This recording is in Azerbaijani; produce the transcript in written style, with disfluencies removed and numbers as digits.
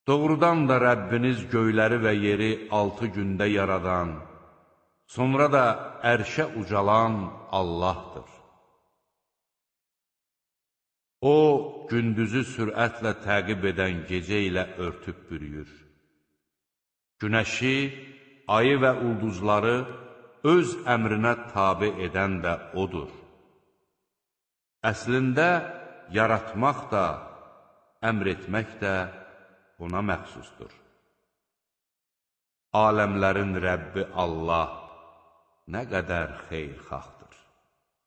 Doğrudan da Rəbbiniz göyləri və yeri 6 gündə yaradan, sonra da ərşə ucalan Allahdır. O, gündüzü sürətlə təqib edən gecə ilə örtüb bürüyür. Günəşi, ayı və ulduzları öz əmrinə tabe edən də odur. Əslində, yaratmaq da, əmr etmək də ona məxsusdur. Aləmlərin Rəbbi Allah nə qədər xeyirxahdır.